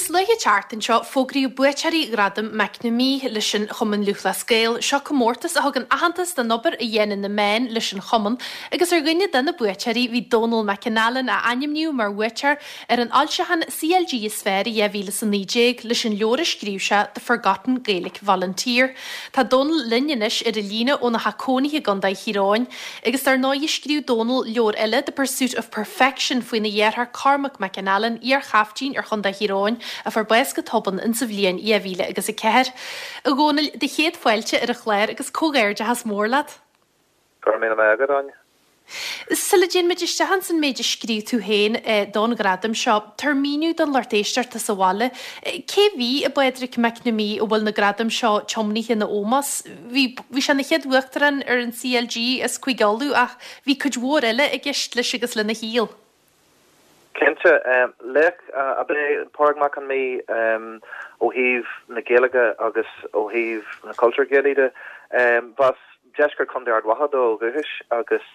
Níos luaithe an tseachtain seo, fógraíodh buaiteoirí Ghradaim McNamee leis an Chumann Lúthchleas Gael. Seo comórtas a thugann aitheantas don obair a dhéanann na meáin leis an chumann agus ar dhuine de na buaiteoirí bhí Dónal McAnallen a ainmníodh mar bhuaiteoir ar an fhoilseachán CLG is fearr i 2019 leis an leabhar a scríobh sé The Forgotten Gaelic Volunteer. Tá Dónal linn anois ar an líne óna theach cónaithe i gContae Thír Eoghain agus dar ndóigh scríobh Dónal leabhar eile The Pursuit of Perfection faoina dheartháir Cormac McAnallen, iar-chaiftín ar Chontae Thír Eoghain a fuair bás go tobann insa bhliain 2004. A Dhónaill, do chéad fáilte ar an chlár agus comhghairdeachas mór leat. Go raibh míle maith agat, Áine. Sula dtéann muid isteach ins an méid a scríobh tú féin don ghradam seo, tabhair míniú don lucht éisteachta sa bhaile, cé bhí i bPádraig McNamee a bhfuil na gradaim seo tiomnaithe ina ómós? Bhí, bhí sé ina chéad uachtarán ar an CLG as Cúige Uladh ach bhí cuid mhór eile i gceist leis agus lena shaol. Cinnte. Laoch ab ea Pádraig Mac Con Midhe ó thaobh na Gaeilge agus ó thaobh na cultúr Gaelaí de. B'as deisceart Chontae Ard Mhacha dó ó dhúchais agus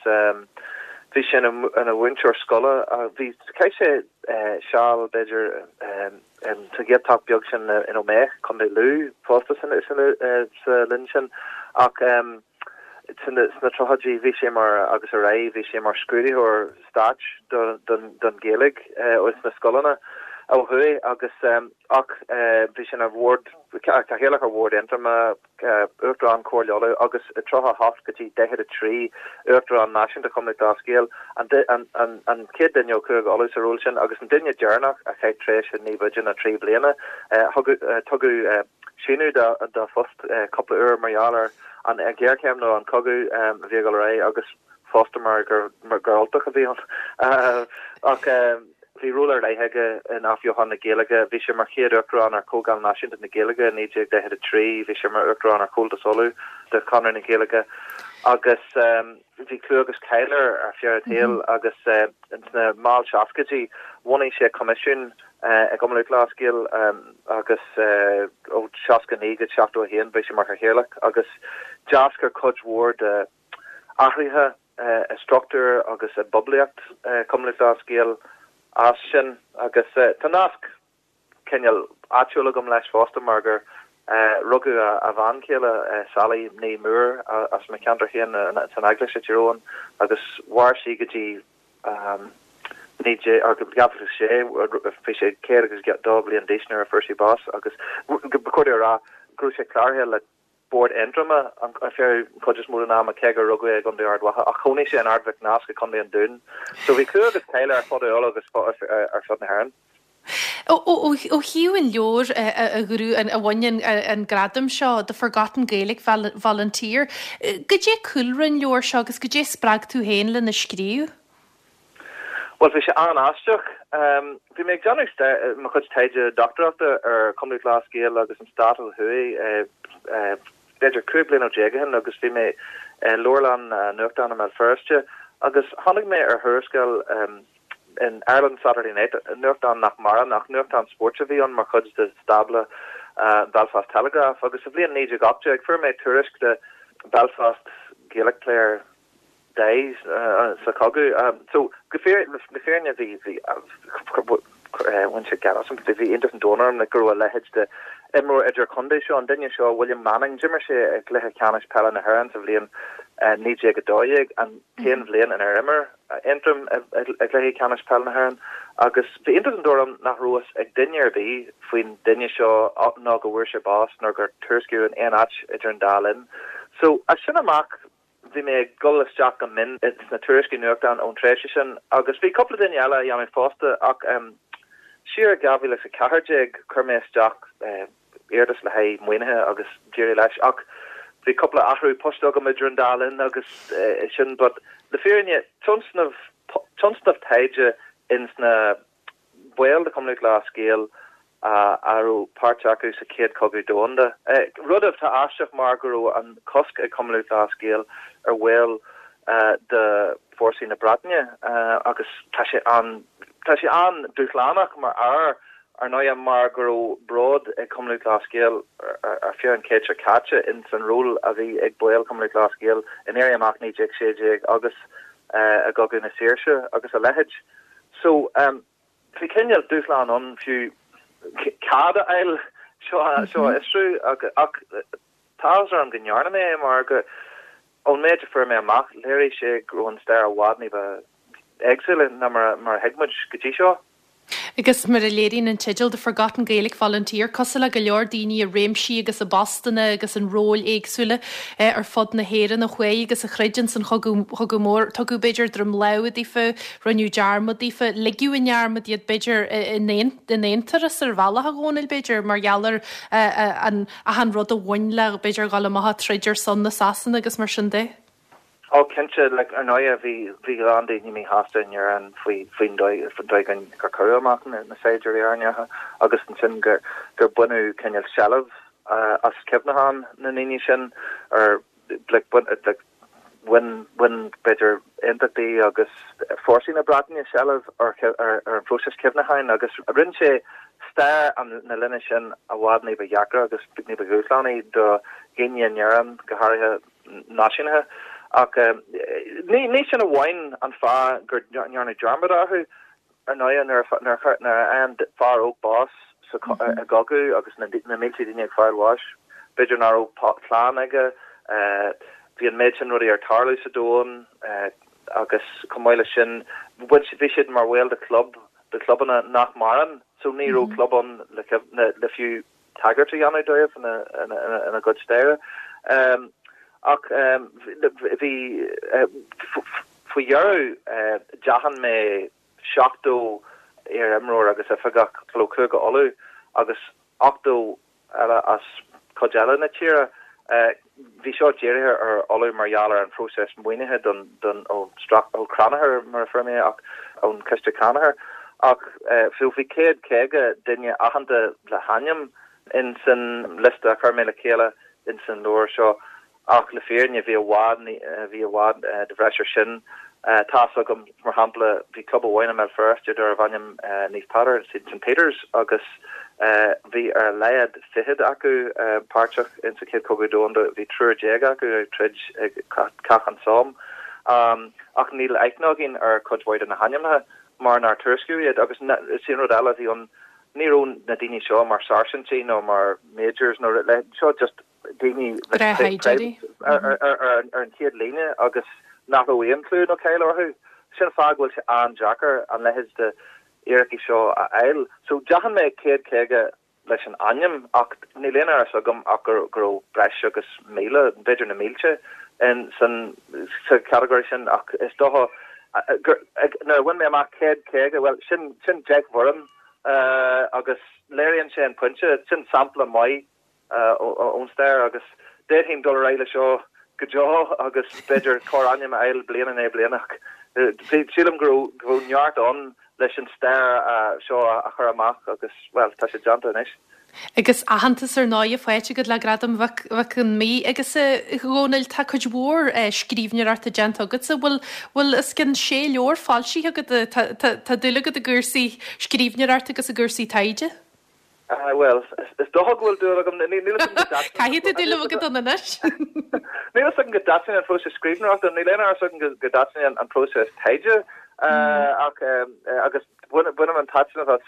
bhí sé ina mhúinteoir scoile. Bhí, chaith sé seal b'fhéidir sa Ghaeltacht beag sin in Ó Méith, Contae Lú fosta sa linn sin ach Sna tríochaidí bhí sé mar, agus ar aghaidh, bhí sé mar scrúdaitheoir stáit don Ghaeilge sna scoileanna ó thuaidh agus ach bhí sé ina bhord, cathaoirleach ar Bhord Aontroma, Uachtarán Chomhairle Uladh agus i 38 go dtí 43 Uachtarán Náisiúnta Chumann Lúthchleas Gael, an chéad duine ó Chúige Uladh sa ról sin agus an duine deireanach a chaith tréimhse ní b'fhaide ná 3 bliana. Tugadh síneadh dá phost cúpla uair mar gheall ar an ghéarchéim nó an cogadh a bhí ag dul ar aghaidh agus fosta mar gur Ultach a bhí ann. Ach bhí ról ar leith aige in athbheochan na Gaeilge. Bhí sé mar chéad Uachtarán ar Chomhdháil Náisiúnta na Gaeilge i 1943, bhí sé mar Uachtarán ar Chomhaltas Uladh de Chonradh na Gaeilge agus bhí clú agus cáil air ar feadh a shaoil agus sna mall seascaidí bhunaigh sé coimisiún i gCumann Lúthchleas Gael agus ó 69 go 71 bhí sé mar chathaoirleach agus d'eascair cuid mhór de athruithe i struchtúr agus i bpoiblíocht Chumann Lúthchleas Gael as sin agus tá nasc cineál áitiúil agam leis fosta mar gur rugadh a bhean chéile Sally Ní Moore as mo cheantar féin san Eaglais i dTír Eoghain agus mhair sí go dtí 2006, bhí sé 102 bliain d'aois nuair a fuair sí bás agus ba chóir dom a rá go raibh sé cláraithe le Bord Aontroma ar feadh an chuid is mó den ama cé gur rugadh é i gContae Ard Mhacha ach chónaigh sé in Ard Mhic Nasc i gContae an Dúin. So bhí clú agus cáil air ar fud Uladh agus ar fud na hÉireann. Ó thaobh an leabhair a ghnóthaigh, a bhain an gradam seo, The Forgotten Gaelic Volunteer, goidé cúlra an leabhair seo agus goidé spreag tú féin lena scríobh? Bhuel, bhí sé an-aisteach. Bhí mé ag déanamh mo chuid taighde dochtúireachta ar Chumann Lúthchleas Gael agus an Stát ó thuaidh b'fhéidir 15 bliana ó shin agus bhí mé i leabharlann nuachtán i mBéal Feirste agus tháinig mé ar thuarascáil in Ireland Saturday Night, nuachtán nach maireann ach nuachtán spóirt a bhí ann mar chuid de stábla Belfast Telegraph agus sa bhliain 1918 fuair mé tuairisc de Belfast Gaelic player dies sa chogadh. So go fíor, le fírinne bhí, bhí, bhain sé geit asam, bhí iontas an domhain orm like go raibh a leithéid de imreoir idir-chontae seo, an duine seo, William Manning, d'imir sé i gcluiche ceannais peile na hÉireann sa bhliain 1912, an t-aon bhliain inar imir Aontroim i gcluiche ceannais peile na hÉireann agus bhí iontas an domhain orm nach raibh fhios ag duine ar bith faoin duine seo ná go bhfuair sé bás nó gur tuairiscíodh in aon áit idir an dá linn. So as sin amach bhí mé ag dul isteach go mion sna tuairiscí nuachtáin ón tréimhse sin agus bhí cúpla duine eile á dhéanamh fosta ach siar i 2014 chuir mé isteach iarratas le haghaidh maoinithe agus d'éirigh leis ach bhí cúpla athrú poist agam idir an dá linn agus sin but le fírinne tionscnamh tionscnamh taighde ins na baill de Chumann Lúthchleas Gael a raibh páirt acu sa Chéad Chogadh Domhanda. Rud atá aisteach mar go raibh an cosc ag Cumann Lúthchleas Gael ar bhaill de fórsaí na Breataine agus tá sé an tá sé an-dúshlánach mar ábhar Ar ndóighe, mar go raibh bród ag Cumann Lúthchleas Gael ar feadh an chéid seo caite ins an ról a bhí ag baill Chumann Lúthchleas Gael in Éirí Amach 1916 agus i gCogadh na Saoirse agus a leithéid. So, bhí cineál dúshlán ann fiú. cead a fháil seo a fhiosrú ach tá áthas orm go ndearna mé é mar go ón méid a fuair mé amach léirigh sé go raibh an stair i bhfad ní ba éagsúla ná mar a thuig muid go dtí seo. Agus mar a léiríonn an teideal The Forgotten Gaelic Volunteer, cosúil le go leor daoine i réimsí agus i bpostanna agus in róil éagsúla ar fud na hÉireann a chuaigh agus a throid ins an Chogadh Mór, tugadh b'fhéidir droim láimhe daofa, rinneadh dearmad daofa, ligeadh i ndearmad iad b'fhéidir in aon turas ar bhealach a Dhónaill b'fhéidir mar gheall ar an achan rud a bhain le b'fhéidir dhul amach ag troid ar son na Sasana agus mar sin de. Ó cinnte, like, ar ndóighe bhí bhí a lán daoine míshásta in Éirinn faoi faoin dóigh faoin dóigh gur gur cuireadh amach na na saighdiúirí Éireannacha agus ansin gur gur baineadh cineál seilbh as cuimhneachán na ndaoine sin ar like bain like bhain bhain b'fhéidir aontachtaí agus fórsaí na Breataine seilbh ar ar ar an phróiseas cuimhneacháin agus rinne sé stair an na linne sin i bhfad ní ba dheacra agus ní ba dhúshlánaí do dhaoine in Éirinn go háirithe náisiúnaithe. Ach ní sin amháin an fáth gur ndearnadh dearmad orthu. Ar ndóighe, nuair a fhaigheann fear óg bás i gcogadh agus na mílte daoine ag fáil bháis, b'fhéidir nach raibh clann aige, bhí an méid sin rudaí ag tarlú sa domhan agus chomh maith leis sin, bhí siad mar bhaill de chlub, de chlubanna nach maireann, so ní raibh club ann le fiú tagairt a dhéanamh dóibh ina gcuid staire. Ach bhí, faoi dheireadh, d'aithin mé 70 iar-imreoir agus oifigeach ó Chúige Uladh agus 80 eile as cuid eile na tíre. Bhí seo dírithe ar Ulaidh mar gheall ar an phróiseas maoinithe don, don, ó, ó Crannchur mar a fuair mé é ach ón Chiste Crannchuir. Ach so bhí 150 duine aitheanta le hainm in san liosta a chuir mé le chéile in san leabhar seo ach le fírinne bhí i bhfad, bhí i bhfad de bhreis ar sin. Tá's agam, mar shampla, bhí club amháin i mBéal Feirste darbh ainm Naomh Peadar, St Peter's, agus bhí ar a laghad fichead acu páirteach in sa Chéad Chogadh Domhanda, bhí 13 acu ag troid ag Cath an Somme. Ach níl aithne againn ar chuid mhaith de na hainmneacha mar nár tuairiscíodh iad agus is é an rud eile a bhí ann, ní raibh na daoine seo mar sáirsintí nó mar majors nó seo just daoine ar an chéad líne agus nach raibh aon chlú nó cáil orthu. Sin an fáth go bhfuil sé an-deacair an leithéid de fhíricí seo a fháil. So d'aithin mé 150 leis an ainm ach níl aon amhras agam ach go raibh breis agus 1,000, b'fhéidir na mílte, in san sa chatagóir sin ach is dócha gur nuair a bhain mé amach 150, bhuel sin sin 10 bhfoireann agus léiríonn sé an pointe, sin sampla maith ón stair agus d'fhéadfainn dul ar aghaidh leis seo go deo agus b'fhéidir corr-ainm a fháil bliain i ndiaidh bliana ach sílim go raibh go raibh neart ann leis an stair seo a chur amach agus, bhuel, tá sé déanta anois. Agus aitheantas ar ndóighe faighte agat le Gradam Mhic Con Midhe agus a Dhónaill, tá cuid mhór scríbhneoireachta déanta agatsa. Bhfuil bhfuil os cionn sé leabhar foilsithe agat? Tá tá tá dúil agat i gcúrsaí scríbhneoireachta agus i gcúrsaí taighde? Bhuel, is dócha go bhfuil dúil agam. Níl a fhios agam go dtaitníonn. Caithfidh tú dúil a bheith agat ann anois. Níl a fhios agam go dtaitníonn an próiseas scríbhneoireachta, níl aon amhras agam go dtaitníonn an próiseas taighde ach agus bainim an taitneamh as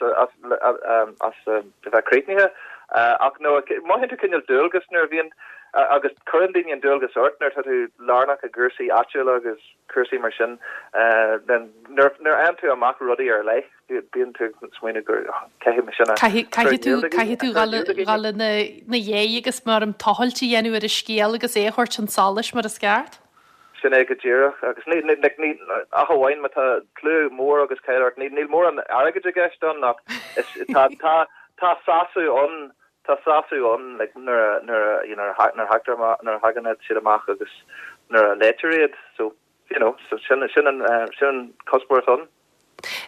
as a bheith críochnaithe ach no, mothaíonn tú cineál dualgas nuair a bhíonn agus cuireann daoine an dualgas ort nuair atá tú lárnach i gcúrsaí áitiúla agus cúrsaí mar sin nuair a fhaigheann tú amach rudaí ar leith. Bíonn tú ag smaoineamh gur caithfidh mé sin a Caithfidh tú caithfidh tú dhul ina dhiaidh agus mar an tochailt a dhéanamh ar an scéal agus é a thabhairt chun solais mar is ceart. Sin é go díreach agus ní like ní ach amháin má tá clú mór agus cáil ort níl mórán airgid i gceist ann ach is tá tá tá sásamh ann tá sásamh ann like nuair a nuair a you know nuair a thagtar amach nuair a thagann siad amach agus nuair a léitear iad so you know so sin sin an sin an cuspóir atá ann.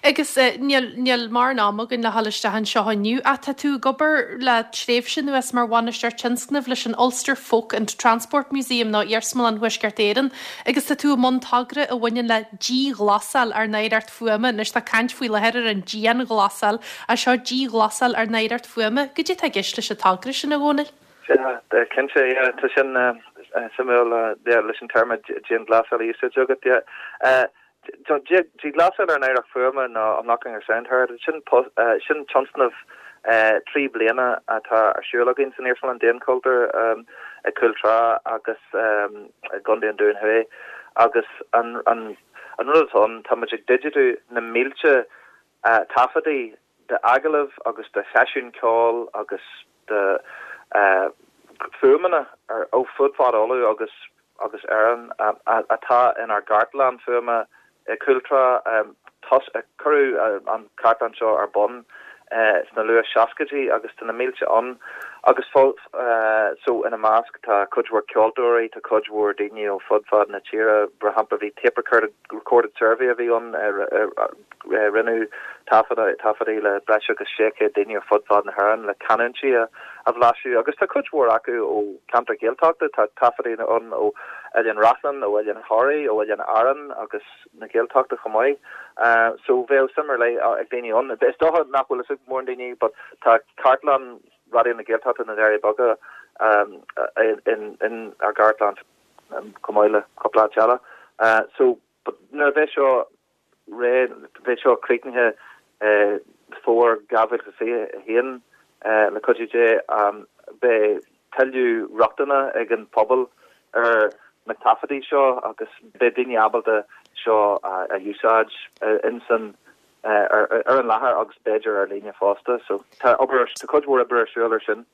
Agus níl, níl mórán ama againn le dhul isteach anseo inniu, ach tá tú ag obair le tréimhse anuas mar bhainisteoir tionscnaimh leis an Ulster Folk and Transport Museum, nó Iarsmalann Thuaisceart Éireann, agus tá tú i mbun togra a bhaineann le díghlasáil ár n-oidhreacht fuaime. Anois tá caint faoi láthair ar an dianghlasáil, ach seo díghlasáil ár n-oidhreacht fuaime. Goidé atá i gceist leis an togra sin, a Dhónaill? Sea, cinnte, yeah, tá sin suimiúil, yeah, leis an téarma dianghlasáil a úsáid agat, yeah. Díghlasáil ár n-oidhreacht fuaime nó Unlocking Our Sound Heritage, sin sin tionscnamh. 3 bliana atá ar siúl againn san Iarsmalann Daonchultúir i gCúl Trá agus i gContae an Dúin Thuaidh agus an an rud atá ann, tá muid ag digitiú na mílte taifeadtaí d'agallaimh agus de sheisiúin ceoil agus de fuaimeanna ó fud fad Uladh agus agus Éireann atá inár gcartlann fuaime i gCúl Trá. Cuireadh an chartlann seo ar bun sna luath seascaidí agus tá na mílte ann agus so ina measc tá cuid mhór ceoltóirí, tá cuid mhór daoine ó fud fad na tíre. Mar shampla bhí tape recorded recorded survey a bhí ann, rinneadh taifeadtaí le breis agus 600 daoine ar fud fad na hÉireann le canúintí a bhlaiseadh agus tá cuid mhór acu ó cheantar Gaeltachta, tá taifeadtaí ann ó Oileán Reachlainn, ó Oileán Thoraí, ó Oileán Árann agus na Gaeltachta chomh maith. So bheadh suim ar leith ag daoine ann. Is dócha nach bhfuil fhios ag mórán daoine but tá cartlann Raidió na Gaeltachta na nDoirí Beaga in ár gcartlann chomh maith le cúpla áit eile. So but nuair a bheidh seo réidh, beidh seo críochnaithe fómhar 2021 le cuidiú Dé, beidh tuilleadh rochtana ag an phobal ar na taifeadtaí seo agus beidh daoine ábalta seo a úsáid insan ar an láthair agus b'fhéidir ar líne fosta. So tá obair, tá cuid mhór oibre ar siúl ar sin.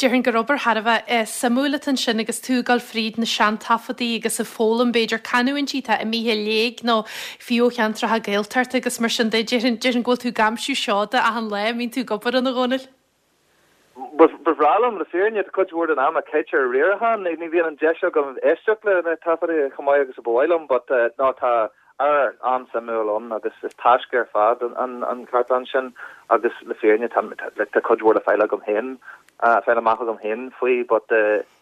Déarfainn gur obair thar a bheith suimiúil atá ansin agus tú ag dul fríd na seantaifeadtaí agus ag foghlaim b'fhéidir canúintí atá imithe i léig nó fiú ó cheantracha Gaeltachta agus mar sin de. Déarfainn, déarfainn go bhfuil tú ag aimsiú seoda achan lá a mbíonn tú ag obair ann, a Dhónaill. Ba bhreá liom, le fírinne, tá cuid mhór den am a caite ar riarachán, ní bhíonn an deis agam éisteacht le na taifeadtaí chomh maith agus a ba mhaith liom but no tá ábhar an-suimiúil ann agus is taisce ar fad an chartlann sin agus le fírinne tá like tá cuid mhór le fáil agam féin, fáil amach agam féin faoi but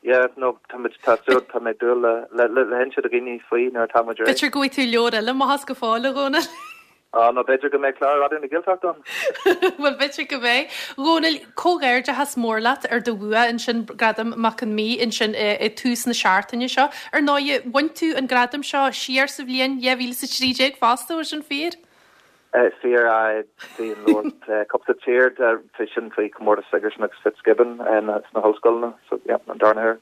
yeah no tá muid tá súil tá mé ag dúil le le le hinse do dhaoine faoi nuair atá muid réidh. B'fhéidir go bhfaighidh tú leabhar eile amach as go fóill, a Dhónaill. Á, nó b'fhéidir go mbeidh clár Raidió na Gaeltachta ann. Bhuel, b'fhéidir go mbeidh. A Dhónaill, comhghairdeachas mór leat ar do bhua ansin, Gradam Mac Con Midhe ansin i tús na seachtaine seo. Ar ndóigh, bhain tú an gradam seo siar sa bhliain 2013 fosta, bhfuil sin fíor? Fíor, aye. Bhí an leabhar Cupsa Tír, bhí sin faoi chomórtas Sigerson agus Fitzgibbon sna hollscoileanna, so yeah, an darna huair.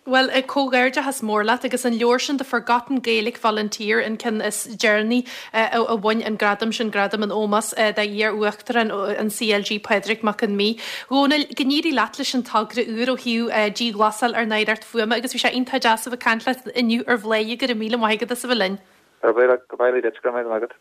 Bhuel, comhghairdeachas mór leat agus an leabhar sin The Forgotten Gaelic Volunteer an ceann is deireanaí a bhain an gradam sin, gradam in ómós d'iar-uachtarán an CLG, Pádraig Mac Con Midhe. A Dhónaill, go n-éirí leat leis an togra úr ó thaobh díghlasáil ár n-oidhreacht fuaime agus bhí sé iontach deas a bheith ag caint leat inniu ar Bhladhaire, go raibh míle maith agat as a bheith linn. Go raibh míle duit, go raibh maith agat.